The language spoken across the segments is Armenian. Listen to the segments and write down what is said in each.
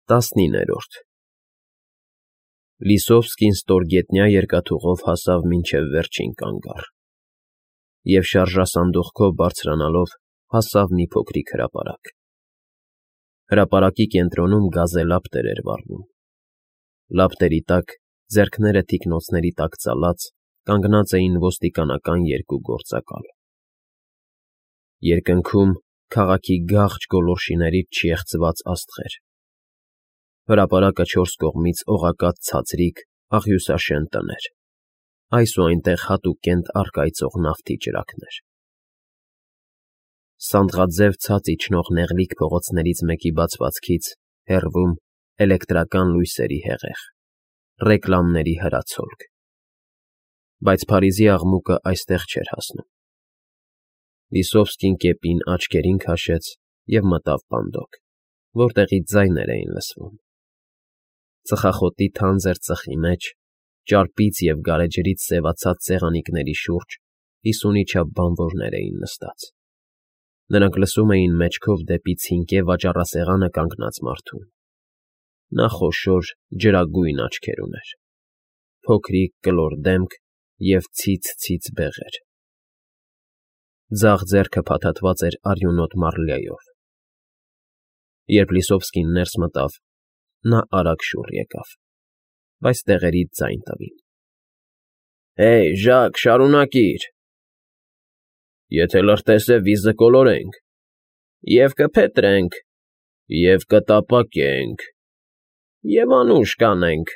19-րդ Լիսովսկին ստորգետնյա երկաթուղով հասավ մինչև վերջին կանգառ և շարժասանդուղքով բարձրանալով հասավ մի փոքրիկ հրապարակ. հրապարակի կենտրոնում գազելապտեր էր վառվում, լապտերի տակ, ձեռքները թիկնոցների տակ ծալած, կանգնած էին ոստիկանական երկու գործակալ, երկնքում քաղաքի գաղջ գոլորշիներից չեղծված աստղեր, հրապարակը չորս կողմից օղակած ցածրիկ, աղյուսաշեն տներ, այս ու այնտեղ հատուկենտ առկայծող նավթի ճրագներ, սանդղաձև ցած իջնող նեղլիկ փողոցներից մեկի բացվածքից, հեռվում, էլեկտրական լույսերի հեղեղ, ռեկլամների հրացոլք, բայց Փարիզի աղմուկը այստեղ չէր հասնում, Լիսովսկին կեպին աչքերին քաշեց և մտավ պանդոկ, որտեղից ձայներ էին լսվում, ծխախոտի թանձր ծխի մեջ, ճարպից և գարեջրից սևացած սեղանիկների շուրջ 50-ի չափ բանվորներ էին նստած, նրանք լսում էին մեջքով դեպի ցինկե վաճառասեղանը կանգնած մարդուն, նա խոշոր, ջրագույն աչքեր ուներ, փոքրիկ կլոր դեմք և ցից բեղեր, ձախ ձեռքը փաթաթված էր արյունոտ մառլյայով, երբ Լիսովսկին ներս մտավ, նա արագ շուռ եկավ, բայց տեղերից ձայն տվին. Հեյ, Ժակ, շարունակիր, եթե լրտես է վիզը կոլորենք, և կփետրենք, և կտապակենք, և անուշ կանենք,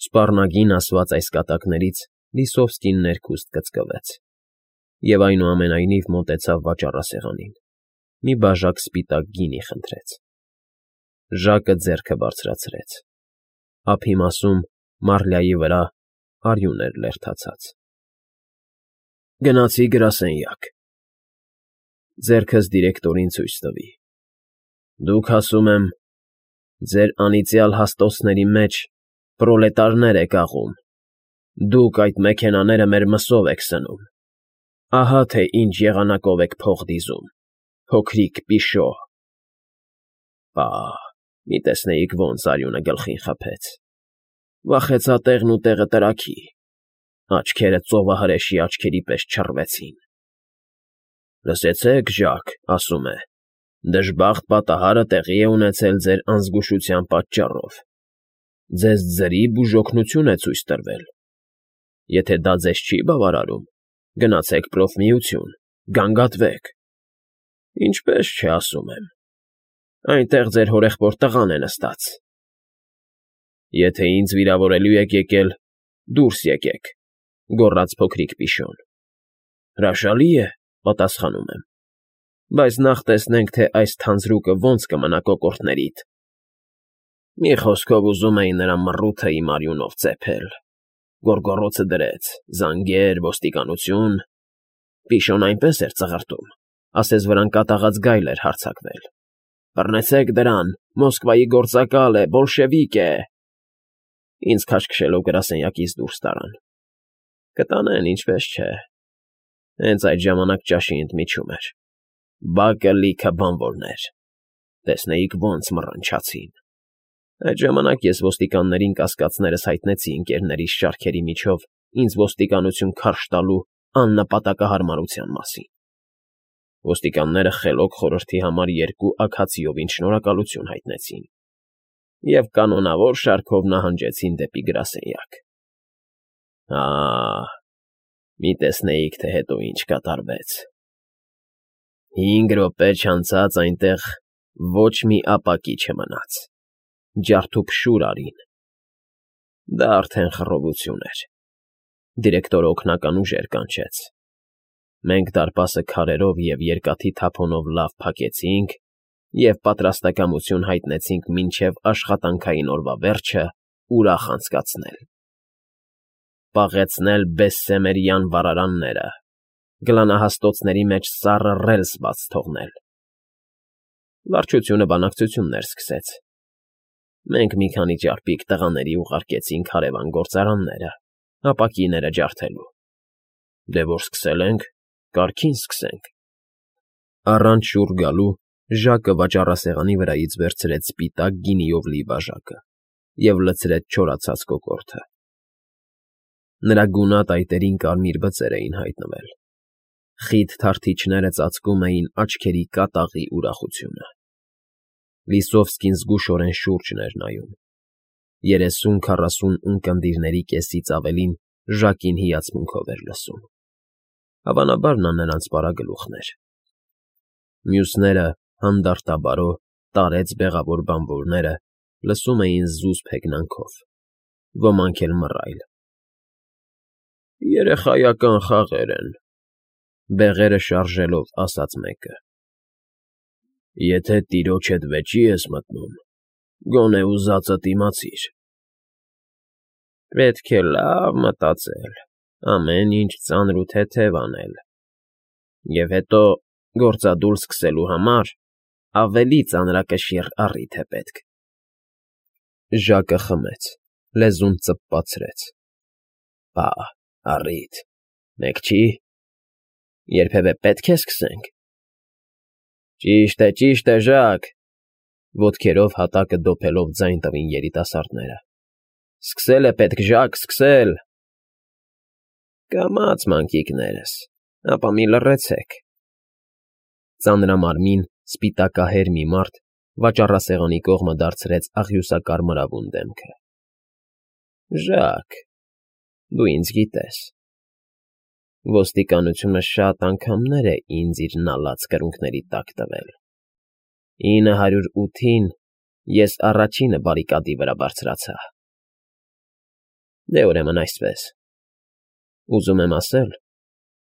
սպառնագին ասված այս կատակներից Լիսովսկին ներքուստ կծկվեց և այնուամենայնիվ մոտեցավ վաճառասեղանին, մի բաժակ սպիտակ գինի խնդրեց, Ժակը ձեռքը բարձրացրեց, ափի մասում, մառլյայի վրա, արյուն էր լերդացած, գնացի գրասենյակ, ձեռքս դիրեկտորին ցույց տվի, դուք ասում եմ, ձեր անիծյալ հաստոցների մեջ պրոլետարներ եք աղում, դուք այդ մեքենաները մեր մսով եք սնում, ահա թե ինչ եղանակով եք փող դիզում, փոքրիկ պիշո, պահ, մի տեսնեիք ոնց արյունը գլխին խփեց, վախեցա տեղն ու տեղը տրաքի, աչքերը ծովահրեշի աչքերի պես չռվեցին, լսեցեք, Ժակ, ասում է, դժբախտ պատահարը տեղի է ունեցել ձեր անզգուշության պատճառով, ձեզ ձրի բուժօգնություն է ցույց տրվել, եթե դա ձեզ չի բավարարում, գնացեք պրոֆմիություն, գանգատվեք, ինչպես չէ, ասում եմ, այնտեղ ձեր հորեղբոր տղան է նստած, եթե ինձ վիրավորելու եք եկել, դուրս եկեք, գոռաց փոքրիկ պիշոն, հրաշալի է, պատասխանում եմ, բայց նախ տեսնենք, թե այս թանձրուկը ոնց կմնա կոկորդներիդ, մի խոսքով ուզում էի նրա մռութը իմ արյունով ծեփել, գոռգոռոցը դրեց, զանգեր, ոստիկանություն, պիշոն այնպես էր ծղրտում, ասես վրան կատաղած գայլ էր հարձակվել, բռնեցեք դրան, Մոսկվայի գործակալ է, բոլշևիկ է, ինձ քաշքշելով գրասենյակից դուրս տարան, կտանեն, ինչպես չէ, հենց այդ ժամանակ ճաշի ընդմիջում էր, բակը լիքը բանվորներ, տեսնեիք ոնց մռնչացին, այդ ժամանակ ես ոստիկաններին կասկածներս հայտնեցի ընկերներիս շարքերի միջով ինձ ոստիկանություն քարշ տալու աննպատակահարմարության մասին, ոստիկանները խելոք խորհրդի համար 2 աքացիովին շնորհակալություն հայտնեցին և կանոնավոր շարքով նահանջեցին դեպի գրասենյակ, մի տեսնեիք, թե հետո ինչ կատարվեց, 5 րոպե չանցած այնտեղ ոչ մի ապակի չմնաց, ջարդուփշուր արին, դա արդեն խռովություն էր, դիրեկտորը օգնական ուժեր կանչեց, մենք դարպասը քարերով և երկաթի թափոնով լավ փակեցինք և պատրաստակամություն հայտնեցինք մինչև աշխատանքային օրվա վերջը ուրախ անցկացնել, պաղեցնել Բեսսեմերյան վառարանները, գլանահաստոցների մեջ սառը ռելս բաց թողնել, վարչությունը բանակցություններ սկսեց, մենք մի քանի ճարպիկ տղաների ուղարկեցինք հարևան գործարանները, ապակիները ջարդելու, դե որ սկսել ենք, կարգին սկսենք, առանց շուռ գալու Ժակը վաճառասեղանի վրայից վերցրեց սպիտակ գինիով լի բաժակը և լցրեց չորացած կոկորդը։ Նրա գունատ այտերին կարմիր բծեր էին հայտնվել։ Խիտ թարթիչները ծածկում էին աչքերի կատաղի ուրախությունը։ Լիսովսկին զգուշորեն շուրջն էր նայում։ 30-40 ունկնդիրների կեսից ավելին Ժակին հիացմունքով էր լսում։ Հավանաբար նա նրանց պարագլուխն էր։ Մյուսները, հանդարտաբարո, տարեց բեղավոր բանվորները, լսում էին զուսպ հեգնանքով, ոմանք էլ մռայլ։ Երեխայական խաղեր են, բեղերը շարժելով ասաց մեկը։ Եթե տիրոջդ վեճի ես մտնում, գոնե ուզածդ իմացիր։ Պետք է լավ մտածել, ամեն ինչ ծանր ու թեթև անել, և հետո գործադուլ սկսելու համար ավելի ծանրակշիռ առիթ է պետք։ Ժակը խմեց, լեզուն ծպպացրեց։ Բա, առիթ, մեկ չի։ Երբևէ պետք է սկսենք։ Ճիշտ է, Ժակ, ոտքերով հատակը դոփելով ձայն տվին երիտասարդները։ Սկսել է պետք, Ժակ, սկսել։ Կամաց, մանկիկներս, ապա մի լռեցեք։ Ծանրամարմին, սպիտակահեր մի մարդ վաճառասեղանի կողմը դարձրեց աղյուսակարմրավուն դեմքը։ Ժակ, դու ինձ գիտես։ Ոստիկանությունը շատ անգամներ է ինձ իր նալած կրունկների տակ տվել։ 908-ին ես առաջինը բարիկադի վրա բարձրացա։ Դե ուրեմն այսպես։ Ուզում եմ ասել,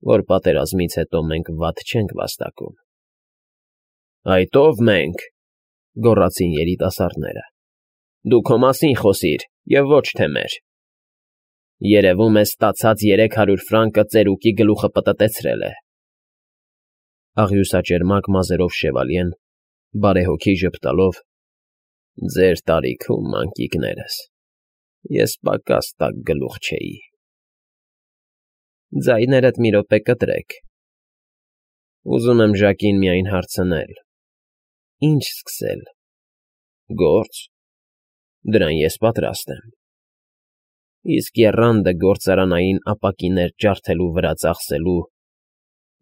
որ պատերազմից հետո մենք վատ չենք վաստակում։ Այդ ով մենք, գոռացին երիտասարդները։ Դու քո մասին խոսիր և ոչ թե մեր։ Երևում է ստացած 300 ֆրանկը ծերուկի գլուխը պտտեցրել է։ Աղյուսաճերմակ մազերով շևալյեն, բարեհոգի ժպտալով, ձեր տարիքում, մանկիկներս, ես պակաս տաք գլուխ չէի։ Ձայներդ մի րոպե կտրեք։ Ուզում եմ Ժակին միայն հարցնել. Ինչ սկսել։ Գործ։ Դրան ես պատրաստ եմ։ Իսկ եռանդը գործարանային ապակիներ ջարդելու վրա ծախսելու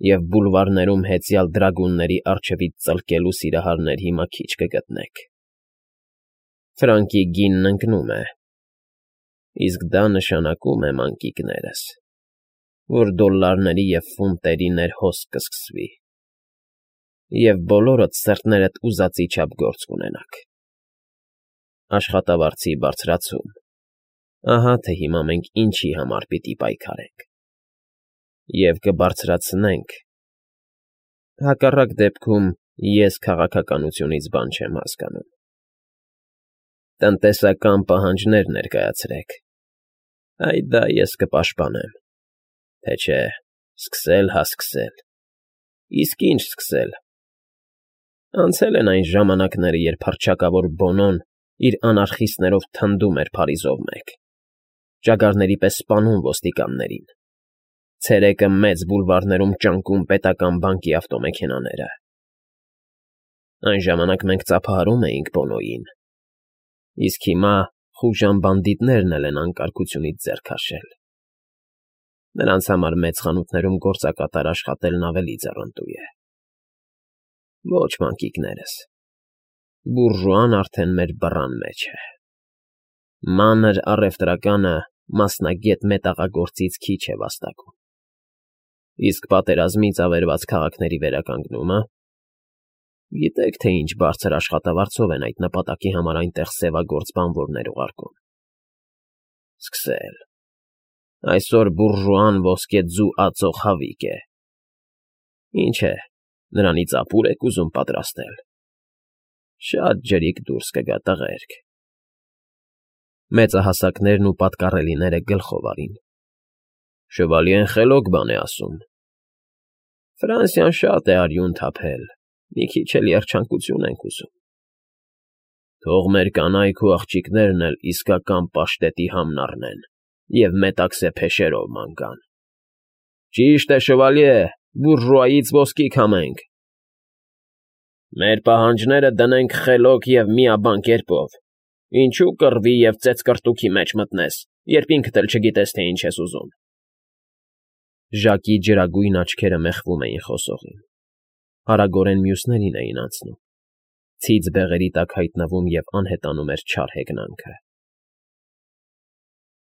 և բուլվարներում հեծյալ դրագունների առջևից ծլկելու սիրահարներ հիմա քիչ կգտնեք։ Ֆրանկի գինն ընկնում է, իսկ դա նշանակում է, մանկիկներս, որ դոլլարների և ֆունտերի ներհոսք կսկսվի, և բոլորդ սրտներդ ուզածի չափ գործ կունենաք։ Աշխատավարձի բարձրացում, ահա թե հիմա մենք ինչի համար պիտի պայքարենք, և կբարձրացնենք, հակառակ դեպքում ես քաղաքականությունից բան չեմ հասկանում։ Տնտեսական պահանջներ ներկայացրեք, այդ դա ես կպաշտպանեմ, թե չէ, սկսել հա սկսել, իսկ ինչ սկսել։ Անցել են այն ժամանակները, երբ հռչակավոր Բոնոն իր անարխիստներով թնդում էր Փարիզով մեկ, ճագարների պես սպանում ոստիկաններին, ցերեկը մեծ բուլվարներում ճանկում պետական բանկի ավտոմեքենաները։ Այն ժամանակ մենք ծափահարում էինք Բոնոյին, իսկ հիմա խուժան բանդիտներն էլ են անկարգությունից ձեռ քաշել։ Նրանց համար մեծ խանութներում գործակատար աշխատելն ավելի ձեռնտու է։ Ոչ, մանկիկներս, բուրժուան արդեն մեր բռան մեջ է։ Մանր առևտրականը մասնագետ մետաղագործից քիչ է վաստակում։ Իսկ պատերազմից ավերված քաղաքների վերականգնումը… Գիտեք, թե ինչ բարձր աշխատավարձով են այդ նպատակի համար այնտեղ սևագործ բանվորներ ուղարկում։ Սկսել։ Այսօր բուրժուան ոսկեձու ածող հավիկ է։ Ինչ է, նրանից ապուր եք ուզում պատրաստել։ Շատ ջրիկ դուրս կգա, տղերք։ Մեծահասակներն ու պատկառելիները գլխով արին։ Շվալյեն խելոք բան է ասում։ Ֆրանսիան շատ է արյուն թափել, մի քիչ էլ երջանկություն ենք ուզում։ Թող մեր կանայք ու աղջիկներն էլ իսկական պաշտետի համն առնեն և մետաքսե փեշերով ման գան։ Ճիշտ է, շվալյե, բուրժուայից ոսկի քամենք։ Մեր պահանջները դնենք խելոք և միաբան կերպով, ինչու կռվի և ծեծկռտուքի մեջ մտնես, երբ ինքդ էլ չգիտես, թե ինչ ես ուզում… Ժակի ջրագույն աչքերը մեղվում էին խոսողին, արագորեն մյուսներին էին անցնում, ցիծ բեղերի տակ հայտնվում և անհետանում էր չար հեգնանքը։